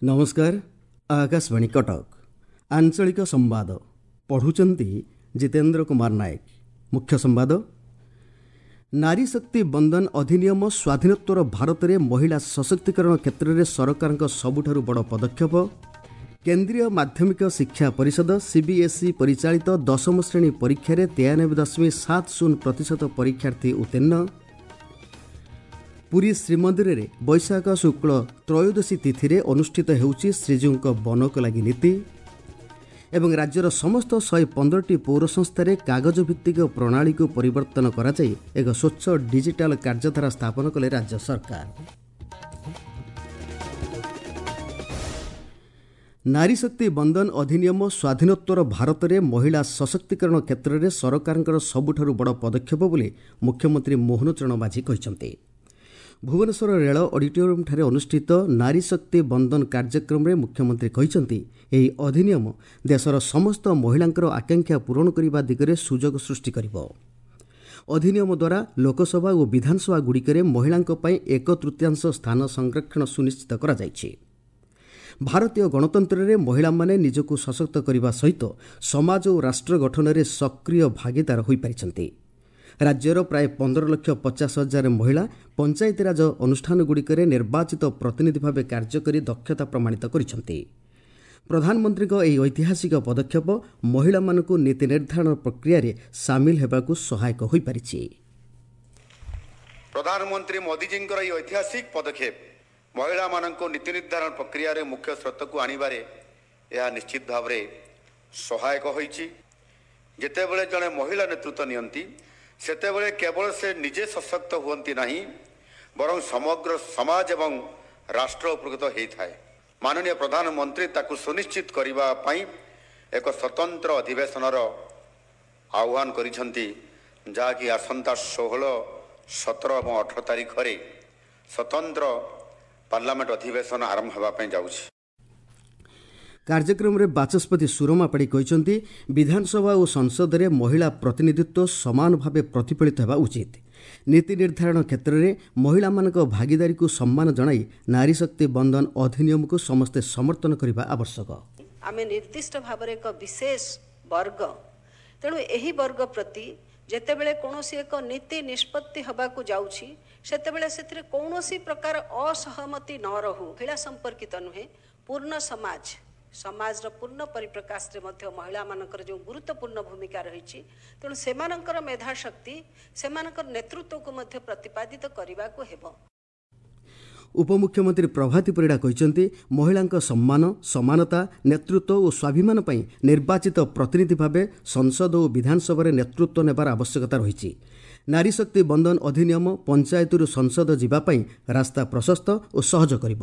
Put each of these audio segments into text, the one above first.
ନମସ୍କାର, ଆକାଶବାଣୀ କଟକ। ଆଞ୍ଚଳିକ ସମ୍ବାଦ ପଢ଼ୁଛନ୍ତି ଜିତେନ୍ଦ୍ର କୁମାର ନାୟକ। ମୁଖ୍ୟ ସମ୍ବାଦ। ନାରୀ ଶକ୍ତି ବନ୍ଦନ ଅଧିନିୟମ ସ୍ୱାଧୀନୋତ୍ତର ଭାରତରେ ମହିଳା ସଶକ୍ତିକରଣ କ୍ଷେତ୍ରରେ ସରକାରଙ୍କ ସବୁଠାରୁ ବଡ଼ ପଦକ୍ଷେପ। କେନ୍ଦ୍ରୀୟ ମାଧ୍ୟମିକ ଶିକ୍ଷା ପରିଷଦ ସିବିଏସ୍ଇ ପରିଚାଳିତ ଦଶମ ଶ୍ରେଣୀ ପରୀକ୍ଷାରେ 93.70% ପରୀକ୍ଷାର୍ଥୀ ଉତ୍ତୀର୍ଣ୍ଣ। ପୁରୀ ଶ୍ରୀମନ୍ଦିରରେ ବୈଶାଖ ଶୁକ୍ଳ ତ୍ରୟୋଦଶୀ ତିଥିରେ ଅନୁଷ୍ଠିତ ହେଉଛି ଶ୍ରୀଜୀଉଙ୍କ ବନକଲାଗି ନୀତି। ଏବଂ ରାଜ୍ୟର ସମସ୍ତ 115ଟି ପୌର ସଂସ୍ଥାରେ କାଗଜଭିତ୍ତିକ ପ୍ରଣାଳୀକୁ ପରିବର୍ତ୍ତନ କରାଯାଇ ଏକ ସ୍ୱଚ୍ଛ ଡିଜିଟାଲ କାର୍ଯ୍ୟଧାରା ସ୍ଥାପନ କଲେ ରାଜ୍ୟ ସରକାର। ନାରୀ ଶକ୍ତି ବନ୍ଦନ ଅଧିନିୟମ ସ୍ୱାଧୀନୋତ୍ତର ଭାରତରେ ମହିଳା ସଶକ୍ତିକରଣ କ୍ଷେତ୍ରରେ ସରକାରଙ୍କର ସବୁଠାରୁ ବଡ଼ ପଦକ୍ଷେପ ବୋଲି ମୁଖ୍ୟମନ୍ତ୍ରୀ ମୋହନ ଚରଣ ମାଝୀ କହିଛନ୍ତି। ଭୁବନେଶ୍ୱର ରେଳ ଅଡିଟୋରିୟମ୍ଠାରେ ଅନୁଷ୍ଠିତ ନାରୀ ଶକ୍ତି ବନ୍ଦନ କାର୍ଯ୍ୟକ୍ରମରେ ମୁଖ୍ୟମନ୍ତ୍ରୀ କହିଛନ୍ତି, ଏହି ଅଧିନିୟମ ଦେଶର ସମସ୍ତ ମହିଳାଙ୍କର ଆକାଂକ୍ଷା ପୂରଣ କରିବା ଦିଗରେ ସୁଯୋଗ ସୃଷ୍ଟି କରିବ। ଅଧିନିୟମ ଦ୍ୱାରା ଲୋକସଭା ଓ ବିଧାନସଭାଗୁଡ଼ିକରେ ମହିଳାଙ୍କ ପାଇଁ ଏକ ତୃତୀୟାଂଶ ସ୍ଥାନ ସଂରକ୍ଷଣ ସୁନିଶ୍ଚିତ କରାଯାଇଛି। ଭାରତୀୟ ଗଣତନ୍ତ୍ରରେ ମହିଳାମାନେ ନିଜକୁ ସଶକ୍ତ କରିବା ସହିତ ସମାଜ ଓ ରାଷ୍ଟ୍ର ଗଠନରେ ସକ୍ରିୟ ଭାଗିଦାର ହୋଇପାରିଛନ୍ତି। ରାଜ୍ୟର ପ୍ରାୟ 15,50,000 ମହିଳା ପଞ୍ଚାୟତିରାଜ ଅନୁଷ୍ଠାନଗୁଡ଼ିକରେ ନିର୍ବାଚିତ ପ୍ରତିନିଧି ଭାବେ କାର୍ଯ୍ୟ କରି ଦକ୍ଷତା ପ୍ରମାଣିତ କରିଛନ୍ତି। ପ୍ରଧାନମନ୍ତ୍ରୀଙ୍କ ଏହି ଐତିହାସିକ ପଦକ୍ଷେପ ମହିଳାମାନଙ୍କୁ ନୀତି ନିର୍ଦ୍ଧାରଣ ପ୍ରକ୍ରିୟାରେ ସାମିଲ ହେବାକୁ ସହାୟକ ହୋଇପାରିଛି। ପ୍ରଧାନମନ୍ତ୍ରୀ ମୋଦିଜୀଙ୍କର ଏହି ଐତିହାସିକ ପଦକ୍ଷେପ ମହିଳାମାନଙ୍କୁ ନୀତି ନିର୍ଦ୍ଧାରଣ ପ୍ରକ୍ରିୟାରେ ମୁଖ୍ୟ ସ୍ରୋତକୁ ଆଣିବାରେ ଏହା ନିଶ୍ଚିତ ଭାବରେ ସହାୟକ ହୋଇଛି। ଯେତେବେଳେ ଜଣେ ମହିଳା ନେତୃତ୍ୱ ନିଅନ୍ତି, ସେତେବେଳେ କେବଳ ସେ ନିଜେ ସଶକ୍ତ ହୁଅନ୍ତି ନାହିଁ, ବରଂ ସମଗ୍ର ସମାଜ ଏବଂ ରାଷ୍ଟ୍ର ଉପକୃତ ହୋଇଥାଏ। ମାନନୀୟ ପ୍ରଧାନମନ୍ତ୍ରୀ ତାକୁ ସୁନିଶ୍ଚିତ କରିବା ପାଇଁ ଏକ ସ୍ୱତନ୍ତ୍ର ଅଧିବେଶନର ଆହ୍ୱାନ କରିଛନ୍ତି, ଯାହାକି ଆସନ୍ତା 16, 17 ଏବଂ 18 ତାରିଖରେ ସ୍ୱତନ୍ତ୍ର ପାର୍ଲାମେଣ୍ଟ ଅଧିବେଶନ ଆରମ୍ଭ ହେବା ପାଇଁ ଯାଉଛି। କାର୍ଯ୍ୟକ୍ରମରେ ବାଚସ୍ପତି ସୁରମା ପାଢ଼ୀ କହିଛନ୍ତି, ବିଧାନସଭା ଓ ସଂସଦରେ ମହିଳା ପ୍ରତିନିଧିତ୍ୱ ସମାନ ଭାବେ ପ୍ରତିଫଳିତ ହେବା ଉଚିତ। ନୀତି ନିର୍ଦ୍ଧାରଣ କ୍ଷେତ୍ରରେ ମହିଳାମାନଙ୍କ ଭାଗିଦାରୀକୁ ସମ୍ମାନ ଜଣାଇ ନାରୀ ଶକ୍ତି ବନ୍ଦନ ଅଧିନିୟମକୁ ସମସ୍ତେ ସମର୍ଥନ କରିବା ଆବଶ୍ୟକ। ଆମେ ନିର୍ଦ୍ଦିଷ୍ଟ ଭାବରେ ଏକ ବିଶେଷ ବର୍ଗ, ତେଣୁ ଏହି ବର୍ଗ ପ୍ରତି ଯେତେବେଳେ କୌଣସି ଏକ ନୀତି ନିଷ୍ପତ୍ତି ହେବାକୁ ଯାଉଛି, ସେତେବେଳେ ସେଥିରେ କୌଣସି ପ୍ରକାର ଅସହମତି ନ ରହୁ। ମହିଳା ସମ୍ପର୍କିତ ନୁହେଁ, ପୂର୍ଣ୍ଣ ସମାଜ, ସମାଜର ପୂର୍ଣ୍ଣ ପରିପ୍ରକାଶରେ ମଧ୍ୟ ମହିଳାମାନଙ୍କର ଯେଉଁ ଗୁରୁତ୍ୱପୂର୍ଣ୍ଣ ଭୂମିକା ରହିଛି, ତେଣୁ ସେମାନଙ୍କର ମେଧାଶକ୍ତି, ସେମାନଙ୍କର ନେତୃତ୍ୱକୁ ମଧ୍ୟ ପ୍ରତିପାଦିତ କରିବାକୁ ହେବ। ଉପମୁଖ୍ୟମନ୍ତ୍ରୀ ପ୍ରଭାତୀ ପରିଡ଼ା କହିଛନ୍ତି, ମହିଳାଙ୍କ ସମ୍ମାନ, ସମାନତା, ନେତୃତ୍ୱ ଓ ସ୍ୱାଭିମାନ ପାଇଁ ନିର୍ବାଚିତ ପ୍ରତିନିଧି ଭାବେ ସଂସଦ ଓ ବିଧାନସଭାରେ ନେତୃତ୍ୱ ନେବାର ଆବଶ୍ୟକତା ରହିଛି। ନାରୀ ଶକ୍ତି ବନ୍ଦନ ଅଧିନିୟମ ପଞ୍ଚାୟତରୁ ସଂସଦ ଯିବା ପାଇଁ ରାସ୍ତା ପ୍ରଶସ୍ତ ଓ ସହଜ କରିବ।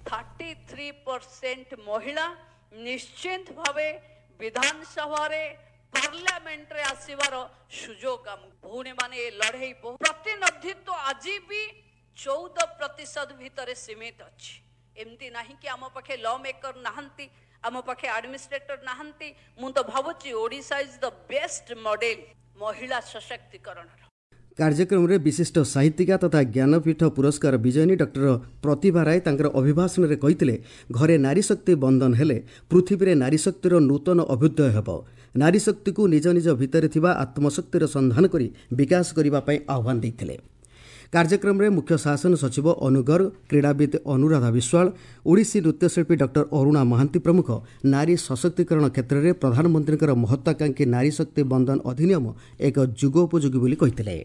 33% ମହିଳା ନିଶ୍ଚିତ ଭାବେ ବିଧାନସଭାରେ, ପାର୍ଲାମେଣ୍ଟରେ ଆସିବାର ସୁଯୋଗ ଆମ ଭଉଣୀମାନେ ଏ ଲଢ଼େଇ। ପ୍ରତିନିଧିତ୍ୱ ଆଜି ବି 14% ଭିତରେ ସୀମିତ ଅଛି। ଏମିତି ନାହିଁ କି ଆମ ପାଖେ ଲ ମେକର ନାହାନ୍ତି, ଆମ ପାଖେ ଆଡମିନିଷ୍ଟ୍ରେଟର ନାହାନ୍ତି। ମୁଁ ତ ଭାବୁଛି Odisha is the best model ମହିଳା ସଶକ୍ତିକରଣର। କାର୍ଯ୍ୟକ୍ରମରେ ବିଶିଷ୍ଟ ସାହିତ୍ୟିକା ତଥା ଜ୍ଞାନପୀଠ ପୁରସ୍କାର ବିଜୟିନୀ ଡକ୍ଟର ପ୍ରତିଭା ରାୟ ତାଙ୍କର ଅଭିଭାଷଣରେ କହିଥିଲେ, ଘରେ ନାରୀଶକ୍ତି ବନ୍ଦନ ହେଲେ ପୃଥିବୀରେ ନାରୀଶକ୍ତିର ନୂତନ ଅଭ୍ୟୁଦୟ ହେବ। ନାରୀଶକ୍ତିକୁ ନିଜ ନିଜ ଭିତରେ ଥିବା ଆତ୍ମଶକ୍ତିର ସନ୍ଧାନ କରି ବିକାଶ କରିବା ପାଇଁ ଆହ୍ୱାନ ଦେଇଥିଲେ। କାର୍ଯ୍ୟକ୍ରମରେ ମୁଖ୍ୟ ଶାସନ ସଚିବ ଅନୁ ଗର୍ଗ, କ୍ରୀଡ଼ାବିତ୍ ଅନୁରାଧା ବିଶ୍ୱାଳ, ଓଡ଼ିଶୀ ନୃତ୍ୟଶିଳ୍ପୀ ଡକ୍ଟର ଅରୁଣା ମହାନ୍ତି ପ୍ରମୁଖ ନାରୀ ସଶକ୍ତିକରଣ କ୍ଷେତ୍ରରେ ପ୍ରଧାନମନ୍ତ୍ରୀଙ୍କର ମହତ୍ୱାକାଂକ୍ଷୀ ନାରୀ ଶକ୍ତି ବନ୍ଦନ ଅଧିନିୟମ ଏକ ଯୁଗୋପଯୋଗୀ ବୋଲି କହିଥିଲେ।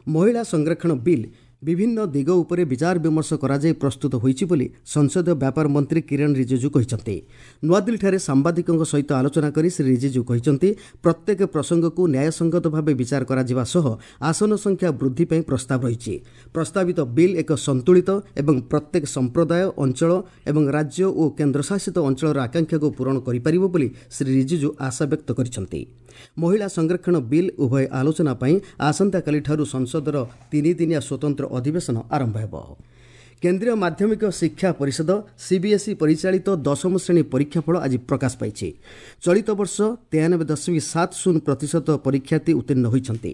ମହିଳା ସଂରକ୍ଷଣ ବିଲ୍ ବିଭିନ୍ନ ଦିଗ ଉପରେ ବିଚାର ବିମର୍ଶ କରାଯାଇ ପ୍ରସ୍ତୁତ ହୋଇଛି ବୋଲି ସଂସଦୀୟ ବ୍ୟାପାର ମନ୍ତ୍ରୀ କିରଣ ରିଜିଜୁ କହିଛନ୍ତି। ନୂଆଦିଲ୍ଲୀଠାରେ ସାମ୍ବାଦିକଙ୍କ ସହିତ ଆଲୋଚନା କରି ଶ୍ରୀ ରିଜିଜୁ କହିଛନ୍ତି, ପ୍ରତ୍ୟେକ ପ୍ରସଙ୍ଗକୁ ନ୍ୟାୟସଙ୍ଗତ ଭାବେ ବିଚାର କରାଯିବା ସହ ଆସନ ସଂଖ୍ୟା ବୃଦ୍ଧି ପାଇଁ ପ୍ରସ୍ତାବ ରହିଛି। ପ୍ରସ୍ତାବିତ ବିଲ୍ ଏକ ସନ୍ତୁଳିତ ଏବଂ ପ୍ରତ୍ୟେକ ସମ୍ପ୍ରଦାୟ, ଅଞ୍ଚଳ ଏବଂ ରାଜ୍ୟ ଓ କେନ୍ଦ୍ରଶାସିତ ଅଞ୍ଚଳର ଆକାଂକ୍ଷାକୁ ପୂରଣ କରିପାରିବ ବୋଲି ଶ୍ରୀ ରିଜିଜୁ ଆଶା ବ୍ୟକ୍ତ କରିଛନ୍ତି। ମହିଳା ସଂରକ୍ଷଣ ବିଲ୍ ଉଭୟ ଆଲୋଚନା ପାଇଁ ଆସନ୍ତାକାଲିଠାରୁ ସଂସଦର ତିନିଦିନିଆ ସ୍ୱତନ୍ତ୍ର ଅଧିବେଶନ ଆରମ୍ଭ ହେବ। କେନ୍ଦ୍ରୀୟ ମାଧ୍ୟମିକ ଶିକ୍ଷା ପରିଷଦ ସିବିଏସ୍ଇ ପରିଚାଳିତ ଦଶମ ଶ୍ରେଣୀ ପରୀକ୍ଷାଫଳ ଆଜି ପ୍ରକାଶ ପାଇଛି। ଚଳିତ ବର୍ଷ 93.70% ପରୀକ୍ଷାର୍ଥୀ ଉତ୍ତୀର୍ଣ୍ଣ ହୋଇଛନ୍ତି।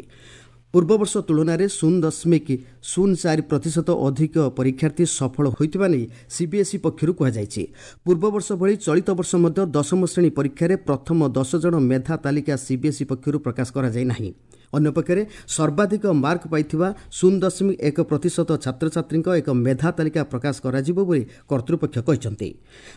ପୂର୍ବବର୍ଷ ତୁଳନାରେ 0.04% ଅଧିକ ପରୀକ୍ଷାର୍ଥୀ ସଫଳ ହୋଇଥିବା ନେଇ ସିବିଏସ୍ଇ ପକ୍ଷରୁ କୁହାଯାଇଛି। ପୂର୍ବବର୍ଷ ଭଳି ଚଳିତ ବର୍ଷ ମଧ୍ୟ ଦଶମ ଶ୍ରେଣୀ ପରୀକ୍ଷାରେ ପ୍ରଥମ 10 ଜଣ ମେଧା ତାଲିକା ସିବିଏସ୍ଇ ପକ୍ଷରୁ ପ୍ରକାଶ କରାଯାଇ ନାହିଁ। ଅନ୍ୟପକ୍ଷରେ ସର୍ବାଧିକ ମାର୍କ ପାଇଥିବା 0.1% ଛାତ୍ରଛାତ୍ରୀଙ୍କ ଏକ ମେଧା ତାଲିକା ପ୍ରକାଶ କରାଯିବ ବୋଲି କର୍ତ୍ତୃପକ୍ଷ କହିଛନ୍ତି।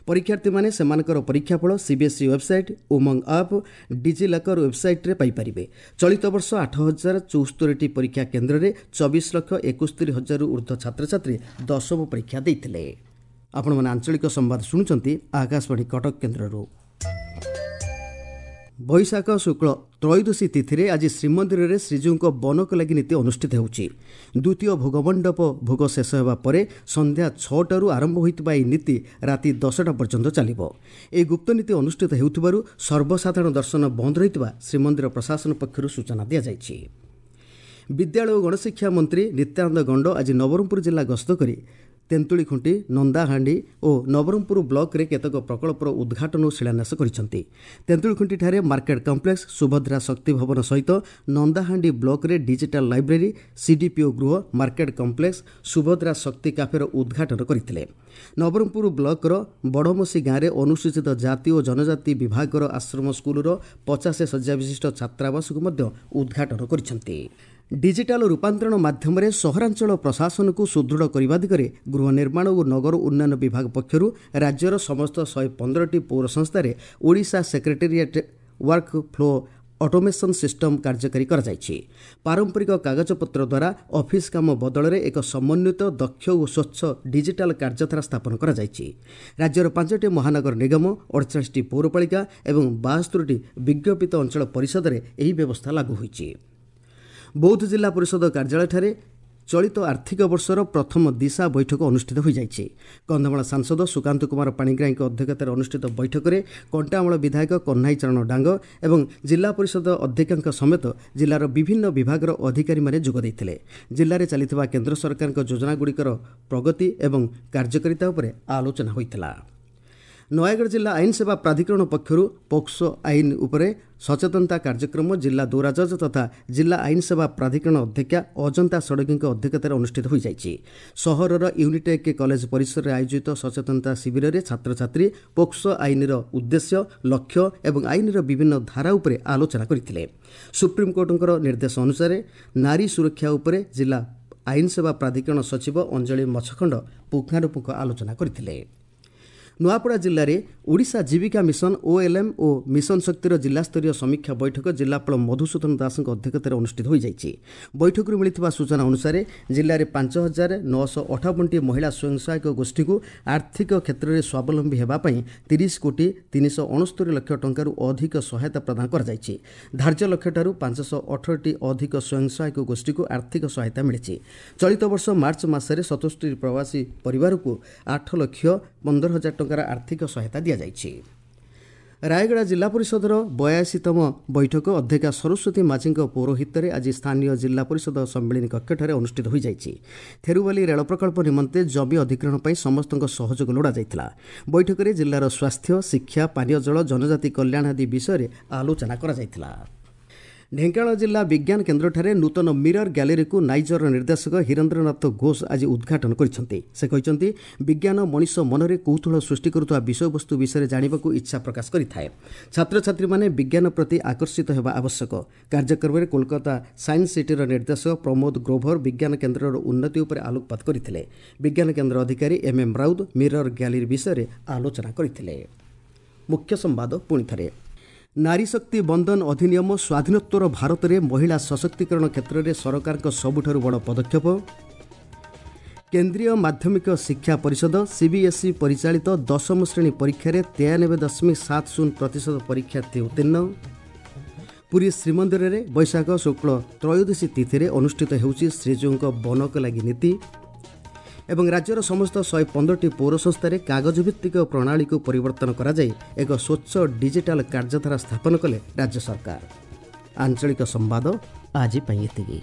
ପରୀକ୍ଷାର୍ଥୀମାନେ ସେମାନଙ୍କର ପରୀକ୍ଷାଫଳ CBSE website, Umang app, DigiLocker ୱେବ୍ସାଇଟ୍ରେ ପାଇପାରିବେ। ଚଳିତ ବର୍ଷ 8074ଟି ପରୀକ୍ଷା କେନ୍ଦ୍ରରେ 24,71,000ରୁ ଉର୍ଦ୍ଧ୍ୱ ଛାତ୍ରଛାତ୍ରୀ ଦଶମ ପରୀକ୍ଷା ଦେଇଥିଲେ। ଆପଣମାନେ ଆଞ୍ଚଳିକ ସମ୍ବାଦ ଶୁଣୁଛନ୍ତି ଆକାଶବାଣୀ କଟକ କେନ୍ଦ୍ରରୁ। ବୈଶାଖ ଶୁକ୍ଳ ତ୍ରୟୋଦଶୀ ତିଥିରେ ଆଜି ଶ୍ରୀମନ୍ଦିରରେ ଶ୍ରୀଜୀଉଙ୍କ ବନକ ଲାଗି ନୀତି ଅନୁଷ୍ଠିତ ହେଉଛି। ଦ୍ୱିତୀୟ ଭୋଗମଣ୍ଡପ ଭୋଗ ଶେଷ ହେବା ପରେ ସନ୍ଧ୍ୟା 6ଟାରୁ ଆରମ୍ଭ ହୋଇଥିବା ଏହି ନୀତି ରାତି 10ଟା ପର୍ଯ୍ୟନ୍ତ ଚାଲିବ। ଏହି ଗୁପ୍ତ ନୀତି ଅନୁଷ୍ଠିତ ହେଉଥିବାରୁ ସର୍ବସାଧାରଣ ଦର୍ଶନ ବନ୍ଦ ରହିଥିବା ଶ୍ରୀମନ୍ଦିର ପ୍ରଶାସନ ପକ୍ଷରୁ ସୂଚନା ଦିଆଯାଇଛି। ବିଦ୍ୟାଳୟ ଓ ଗଣଶିକ୍ଷା ମନ୍ତ୍ରୀ ନିତ୍ୟାନନ୍ଦ ଗଣ୍ଡ ଆଜି ନବରଙ୍ଗପୁର ଜିଲ୍ଲା ଗସ୍ତ କରି ତେନ୍ତୁଳିଖୁଣ୍ଟି, ନନ୍ଦାହାଣ୍ଡି ଓ ନବରଙ୍ଗପୁର ବ୍ଲକରେ କେତେକ ପ୍ରକଳ୍ପର ଉଦ୍ଘାଟନ ଓ ଶିଳାନ୍ୟାସ କରିଛନ୍ତି। ତେନ୍ତୁଳିଖୁଣ୍ଟିଠାରେ ମାର୍କେଟ କମ୍ପ୍ଲେକ୍ସ, ସୁଭଦ୍ରା ଶକ୍ତି ଭବନ ସହିତ ନନ୍ଦାହାଣ୍ଡି ବ୍ଲକରେ ଡିଜିଟାଲ ଲାଇବ୍ରେରୀ, ସିଡିପିଓ ଗୃହ, ମାର୍କେଟ କମ୍ପ୍ଲେକ୍ସ, ସୁଭଦ୍ରା ଶକ୍ତି କାଫେର ଉଦ୍ଘାଟନ କରିଥିଲେ। ନବରଙ୍ଗପୁର ବ୍ଲକର ବଡ଼ମସି ଗାଁରେ ଅନୁସୂଚିତ ଜାତି ଓ ଜନଜାତି ବିଭାଗର ଆଶ୍ରମ ସ୍କୁଲର 50 ଶଯ୍ୟା ବିଶିଷ୍ଟ ଛାତ୍ରାବାସକୁ ମଧ୍ୟ ଉଦ୍ଘାଟନ କରିଛନ୍ତି। ଡିଜିଟାଲ ରୂପାନ୍ତରଣ ମାଧ୍ୟମରେ ସହରାଞ୍ଚଳ ପ୍ରଶାସନକୁ ସୁଦୃଢ଼ କରିବା ଦିଗରେ ଗୃହ ନିର୍ମାଣ ଓ ନଗର ଉନ୍ନୟନ ବିଭାଗ ପକ୍ଷରୁ ରାଜ୍ୟର ସମସ୍ତ 115ଟି ପୌର ସଂସ୍ଥାରେ Odisha secretariat work flow automation system କାର୍ଯ୍ୟକାରୀ କରାଯାଇଛି। ପାରମ୍ପରିକ କାଗଜପତ୍ର ଦ୍ୱାରା ଅଫିସ୍ କାମ ବଦଳରେ ଏକ ସମନ୍ୱିତ, ଦକ୍ଷ ଓ ସ୍ୱଚ୍ଛ ଡିଜିଟାଲ କାର୍ଯ୍ୟଧାରା ସ୍ଥାପନ କରାଯାଇଛି। ରାଜ୍ୟର 5ଟି ମହାନଗର ନିଗମ, 48ଟି ପୌରପାଳିକା ଏବଂ 72ଟି ବିଜ୍ଞପିତ ଅଞ୍ଚଳ ପରିଷଦରେ ଏହି ବ୍ୟବସ୍ଥା ଲାଗୁ ହୋଇଛି। ବୌଦ୍ଧ ଜିଲ୍ଲା ପରିଷଦ କାର୍ଯ୍ୟାଳୟଠାରେ ଚଳିତ ଆର୍ଥିକ ବର୍ଷର ପ୍ରଥମ ଦିଶା ବୈଠକ ଅନୁଷ୍ଠିତ ହୋଇଯାଇଛି। କନ୍ଧମାଳ ସାଂସଦ ସୁକାନ୍ତ କୁମାର ପାଣିଗ୍ରାହୀଙ୍କ ଅଧ୍ୟକ୍ଷତାରେ ଅନୁଷ୍ଠିତ ବୈଠକରେ କଣ୍ଟାମାଳ ବିଧାୟକ କହ୍ନାଇ ଚରଣ ଡାଙ୍ଗ ଏବଂ ଜିଲ୍ଲା ପରିଷଦ ଅଧ୍ୟକ୍ଷଙ୍କ ସମେତ ଜିଲ୍ଲାର ବିଭିନ୍ନ ବିଭାଗର ଅଧିକାରୀମାନେ ଯୋଗ ଦେଇଥିଲେ। ଜିଲ୍ଲାରେ ଚାଲିଥିବା କେନ୍ଦ୍ର ସରକାରଙ୍କ ଯୋଜନାଗୁଡ଼ିକର ପ୍ରଗତି ଏବଂ କାର୍ଯ୍ୟକାରିତା ଉପରେ ଆଲୋଚନା ହୋଇଥିଲା। ନୟାଗଡ଼ ଜିଲ୍ଲା ଆଇନ ସେବା ପ୍ରାଧିକରଣ ପକ୍ଷରୁ ପୋକ୍ସୋ ଆଇନ ଉପରେ ସଚେତନତା କାର୍ଯ୍ୟକ୍ରମ ଜିଲ୍ଲା ଦୌରାଜଜ ତଥା ଜିଲ୍ଲା ଆଇନ ସେବା ପ୍ରାଧିକରଣ ଅଧ୍ୟକ୍ଷା ଅଜନ୍ତା ଷଡ଼ଙ୍ଗୀଙ୍କ ଅଧ୍ୟକ୍ଷତାରେ ଅନୁଷ୍ଠିତ ହୋଇଯାଇଛି। ସହରର ୟୁନିଟେକ୍ କଲେଜ ପରିସରରେ ଆୟୋଜିତ ସଚେତନତା ଶିବିରରେ ଛାତ୍ରଛାତ୍ରୀ ପୋକ୍ସୋ ଆଇନର ଉଦ୍ଦେଶ୍ୟ, ଲକ୍ଷ୍ୟ ଏବଂ ଆଇନର ବିଭିନ୍ନ ଧାରା ଉପରେ ଆଲୋଚନା କରିଥିଲେ। ସୁପ୍ରିମକୋର୍ଟଙ୍କର ନିର୍ଦ୍ଦେଶ ଅନୁସାରେ ନାରୀ ସୁରକ୍ଷା ଉପରେ ଜିଲ୍ଲା ଆଇନ ସେବା ପ୍ରାଧିକରଣ ସଚିବ ଅଞ୍ଜଳି ମଛଖଣ୍ଡ ପୁଙ୍ଖାନୁପୁଙ୍ଖ ଆଲୋଚନା କରିଥିଲେ। ନୂଆପଡ଼ା ଜିଲ୍ଲାରେ ଓଡ଼ିଶା ଜୀବିକା ମିଶନ, ଓଏଲ୍ଏମ୍ ଓ ମିଶନ ଶକ୍ତିର ଜିଲ୍ଲାସ୍ତରୀୟ ସମୀକ୍ଷା ବୈଠକ ଜିଲ୍ଲାପାଳ ମଧୁସୂଦନ ଦାସଙ୍କ ଅଧ୍ୟକ୍ଷତାରେ ଅନୁଷ୍ଠିତ ହୋଇଯାଇଛି। ବୈଠକରୁ ମିଳିଥିବା ସୂଚନା ଅନୁସାରେ ଜିଲ୍ଲାରେ 5958ଟି ମହିଳା ସ୍ୱୟଂ ସହାୟକ ଗୋଷ୍ଠୀକୁ ଆର୍ଥିକ କ୍ଷେତ୍ରରେ ସ୍ୱାବଲମ୍ବୀ ହେବା ପାଇଁ 30 କୋଟି 369 ଲକ୍ଷ ଟଙ୍କାରୁ ଅଧିକ ସହାୟତା ପ୍ରଦାନ କରାଯାଇଛି। ଧାର୍ଯ୍ୟ ଲକ୍ଷ୍ୟଠାରୁ 518ଟି ଅଧିକ ସ୍ୱୟଂ ସହାୟକ ଗୋଷ୍ଠୀକୁ ଆର୍ଥିକ ସହାୟତା ମିଳିଛି। ଚଳିତ ବର୍ଷ ମାର୍ଚ୍ଚ ମାସରେ 77 ପ୍ରବାସୀ ପରିବାରକୁ 8,15,000 ଟଙ୍କାର ଆର୍ଥିକ ସହାୟତା ଦିଆଯାଇଛି। ରାୟଗଡ଼ା ଜିଲ୍ଲା ପରିଷଦର 82ତମ ବୈଠକ ଅଧ୍ୟକ୍ଷା ସରସ୍ୱତୀ ମାଝୀଙ୍କ ପୌରୋହିତ୍ୟରେ ଆଜି ସ୍ଥାନୀୟ ଜିଲ୍ଲା ପରିଷଦ ସମ୍ମିଳନୀ କକ୍ଷଠାରେ ଅନୁଷ୍ଠିତ ହୋଇଯାଇଛି। ଥେରୁବାଲି ରେଳ ପ୍ରକଳ୍ପ ନିମନ୍ତେ ଜମି ଅଧିଗ୍ରହଣ ପାଇଁ ସମସ୍ତଙ୍କ ସହଯୋଗ ଲୋଡ଼ାଯାଇଥିଲା। ବୈଠକରେ ଜିଲ୍ଲାର ସ୍ୱାସ୍ଥ୍ୟ, ଶିକ୍ଷା, ପାନୀୟ ଜଳ, ଜନଜାତି କଲ୍ୟାଣ ଆଦି ବିଷୟରେ ଆଲୋଚନା କରାଯାଇଥିଲା। ଢେଙ୍କାନାଳ ଜିଲ୍ଲା ବିଜ୍ଞାନ କେନ୍ଦ୍ରଠାରେ ନୂତନ ମିରର ଗ୍ୟାଲେରୀକୁ ନାଇଜରର ନିର୍ଦ୍ଦେଶକ ହୀରେନ୍ଦ୍ରନାଥ ଘୋଷ ଆଜି ଉଦ୍ଘାଟନ କରିଛନ୍ତି। ସେ କହିଛନ୍ତି, ବିଜ୍ଞାନ ମଣିଷ ମନରେ କୌତୂହଳ ସୃଷ୍ଟି କରୁଥିବା ବିଷୟବସ୍ତୁ ବିଷୟରେ ଜାଣିବାକୁ ଇଚ୍ଛା ପ୍ରକାଶ କରିଥାଏ। ଛାତ୍ରଛାତ୍ରୀମାନେ ବିଜ୍ଞାନ ପ୍ରତି ଆକର୍ଷିତ ହେବା ଆବଶ୍ୟକ। କାର୍ଯ୍ୟକ୍ରମରେ କୋଲକାତା ସାଇନ୍ସ ସିଟିର ନିର୍ଦ୍ଦେଶକ ପ୍ରମୋଦ ଗ୍ରୋଭର ବିଜ୍ଞାନ କେନ୍ଦ୍ରର ଉନ୍ନତି ଉପରେ ଆଲୋକପାତ କରିଥିଲେ। ବିଜ୍ଞାନ କେନ୍ଦ୍ର ଅଧିକାରୀ M M Rout mirror gallery ବିଷୟରେ ଆଲୋଚନା କରିଥିଲେ। ମୁଖ୍ୟ ସମ୍ବାଦ ପୁଣି ଥରେ। ନାରୀ ଶକ୍ତି ବନ୍ଦନ ଅଧିନିୟମ ସ୍ୱାଧୀନୋତ୍ତର ଭାରତରେ ମହିଳା ସଶକ୍ତିକରଣ କ୍ଷେତ୍ରରେ ସରକାରଙ୍କ ସବୁଠାରୁ ବଡ଼ ପଦକ୍ଷେପ। କେନ୍ଦ୍ରୀୟ ମାଧ୍ୟମିକ ଶିକ୍ଷା ପରିଷଦ ସିବିଏସ୍ଇ ପରିଚାଳିତ ଦଶମ ଶ୍ରେଣୀ ପରୀକ୍ଷାରେ 93.70% ପରୀକ୍ଷାର୍ଥୀ ଉତ୍ତୀର୍ଣ୍ଣ। ପୁରୀ ଶ୍ରୀମନ୍ଦିରରେ ବୈଶାଖ ଶୁକ୍ଳ ତ୍ରୟୋଦଶୀ ତିଥିରେ ଅନୁଷ୍ଠିତ ହେଉଛି ଶ୍ରୀଜୀଉଙ୍କ ବନକ ଲାଗି ନୀତି। ଏବଂ ରାଜ୍ୟର ସମସ୍ତ 115ଟି ପୌର ସଂସ୍ଥାରେ କାଗଜଭିତ୍ତିକ ପ୍ରଣାଳୀକୁ ପରିବର୍ତ୍ତନ କରାଯାଇ ଏକ ସ୍ୱଚ୍ଛ ଡିଜିଟାଲ କାର୍ଯ୍ୟଧାରା ସ୍ଥାପନ କଲେ ରାଜ୍ୟ ସରକାର। ଆଞ୍ଚଳିକ ସମ୍ବାଦ ଆଜି ପାଇଁ ଏତିକି।